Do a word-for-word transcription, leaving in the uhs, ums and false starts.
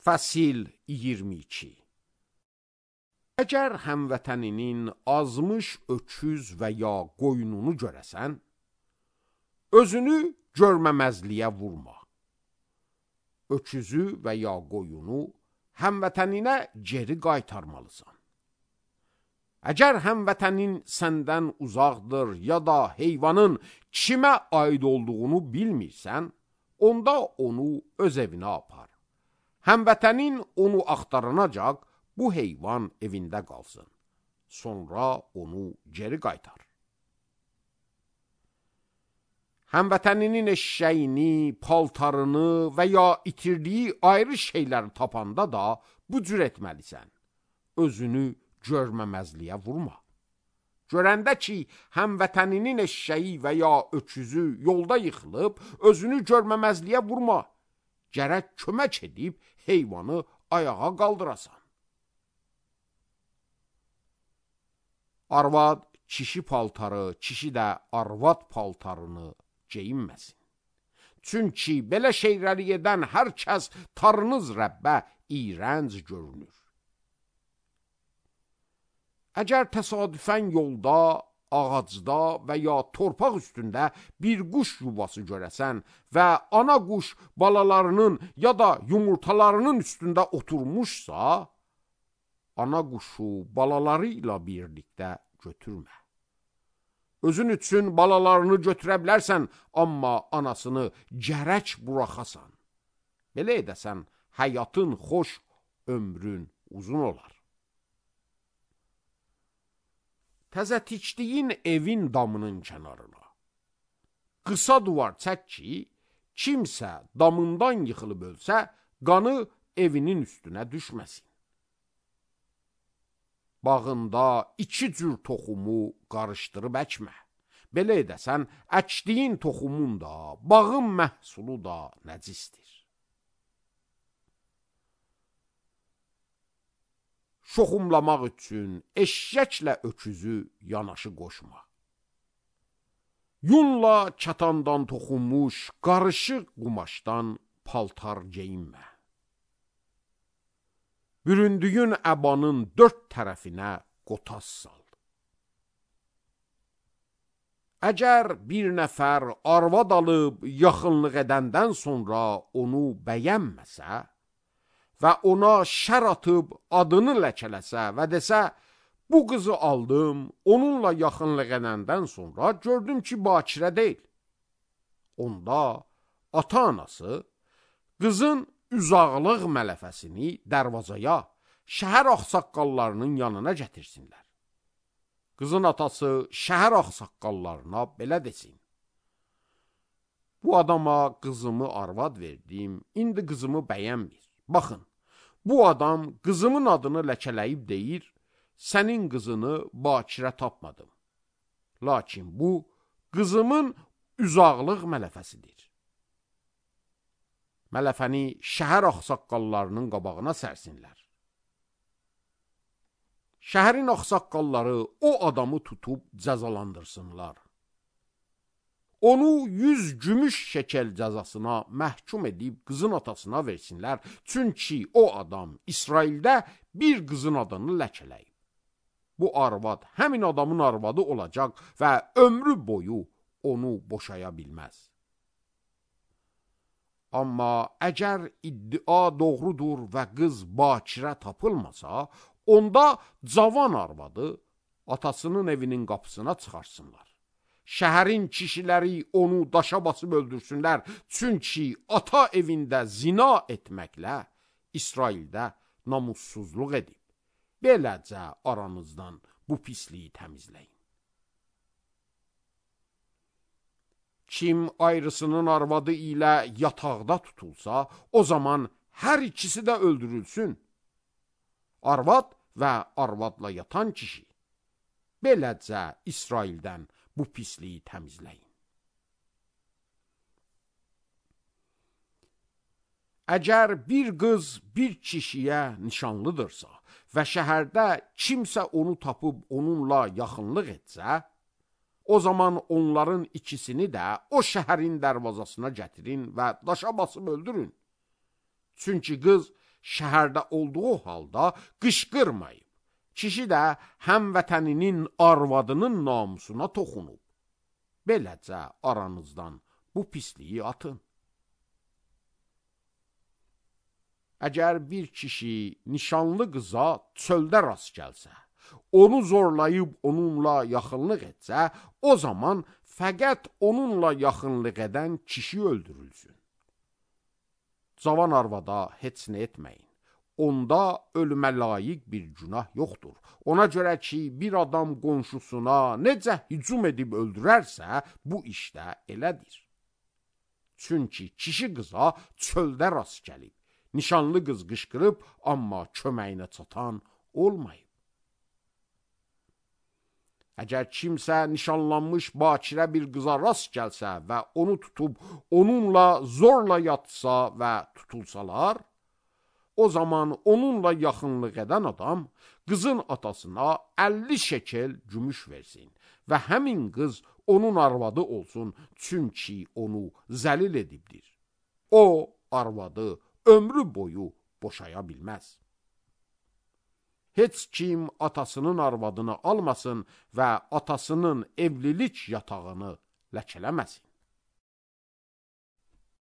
Fəsil iyirmi iki. Əgər həmvətəninin azmış öküz və ya qoyununu görəsən, özünü görməməzliyə vurma. Öküzü və ya qoyunu həmvətəninə geri qaytarmalısan. Əgər həmvətənin səndən uzaqdır ya da heyvanın kimə aid olduğunu bilmirsən, onda onu öz evinə apar. Həmvətənin onu axtaranacaq, bu heyvan evində qalsın. Sonra onu geri qaytar. Həmvətəninin eşşəyini, paltarını və ya itirdiyi ayrı şeyləri tapanda da bu cür etməlisən. Özünü görməməzliyə vurma. Görəndə ki, həmvətəninin eşşəyi və ya öküzü yolda yıxılıb, özünü görməməzliyə vurma. Gərək kömək edib heyvanı ayağa qaldırasan. Arvad kişi paltarı, kişi də arvad paltarını geyinməsin. Çünki belə şeyləri edən hər kəs tarınız Rəbbə iyrənc görünür. Əgər təsadüfən yolda, ağacda və ya torpaq üstündə bir quş yuvası görəsən və ana quş balalarının ya da yumurtalarının üstündə oturmuşsa, ana quşu balaları ilə birlikdə götürmə. Özün üçün balalarını götürə bilərsən, amma anasını gərək buraxasan. Belə edəsən, həyatın xoş, ömrün uzun olar. Təzə tikdiyin evin damının kənarına qısa duvar çək ki, kimsə damından yıxılıb ölsə, qanı evinin üstünə düşməsin. Bağında iki cür toxumu qarışdırıb əkmə. Belə edəsən, əkdiyin toxumun da, bağın məhsulu da nəcisdir. Şoxumlamaq üçün eşşəklə öküzü yanaşı qoşma. Yunla kətandan toxunmuş qarışıq qumaşdan paltar geyinmə. Büründüyün əbanın dörd tərəfinə qotas sal. Əgər bir nəfər arvad alıb yaxınlıq edəndən sonra onu bəyənməsə və ona şər atıb adını ləkələsə və desə, bu qızı aldım, onunla yaxınlıq edəndən sonra gördüm ki, bakirə deyil. Onda ata-anası qızın üzağlıq mələfəsini dərvazaya, şəhər ağsaqqallarının yanına gətirsinlər. Qızın atası şəhər ağsaqqallarına belə desin. Bu adama qızımı arvad verdim, indi qızımı bəyənmir. Baxın, bu adam qızımın adını ləkələyib deyir, sənin qızını bakirə tapmadım. Lakin bu, qızımın üzağlıq mələfəsidir. Mələfəni şəhər ağsaqqallarının qabağına sərsinlər. Şəhərin ağsaqqalları o adamı tutub cəzalandırsınlar. Onu yüz gümüş şəkəl cəzasına məhkum edib qızın atasına versinlər. Çünki o adam İsraildə bir qızın adını ləkələyib. Bu arvad həmin adamın arvadı olacaq və ömrü boyu onu boşaya bilməz. Amma əgər iddia doğrudur və qız bakirə tapılmasa, onda cavan arvadı atasının evinin qapısına çıxarsınlar. Şəhərin kişiləri onu daşa basıb öldürsünlər, çünki ata evində zina etməklə İsraildə namussuzluq edib. Beləcə aranızdan bu pisliyi təmizləyin. Kim ayrısının arvadı ilə yataqda tutulsa, o zaman hər ikisi də öldürülsün. Arvad və arvadla yatan kişi. Beləcə İsraildən bu pisliyi təmizləyin. Əgər bir qız bir kişiyə nişanlıdırsa və şəhərdə kimsə onu tapıb onunla yaxınlıq etsə, o zaman onların ikisini də o şəhərin dərvazasına gətirin və daşa basıb öldürün. Çünki qız şəhərdə olduğu halda qışqırmayıb. Kişi də həmvətəninin arvadının namusuna toxunub. Beləcə aranızdan bu pisliyi atın. Əgər bir kişi nişanlı qıza çöldə rast gəlsə, onu zorlayıb onunla yaxınlıq etsə, o zaman fəqət onunla yaxınlıq edən kişi öldürülsün. Cavan arvada heç nə etməyin. Onda ölümə layiq bir günah yoxdur. Ona görə ki, bir adam qonşusuna necə hücum edib öldürərsə, bu işdə elədir. Çünki kişi qıza çöldə rast gəlib. Nişanlı qız qışqırıb, amma köməyinə çatan olmayıb. Əgər kimsə nişanlanmış bakirə bir qıza rast gəlsə və onu tutub, onunla zorla yatsa və tutulsalar, o zaman onunla yaxınlıq edən adam qızın atasına əlli şekel gümüş versin və həmin qız onun arvadı olsun, çünki onu zəlil edibdir. O, arvadı ömrü boyu boşaya bilməz. Heç kim atasının arvadını almasın və atasının evlilik yatağını ləkələməsin.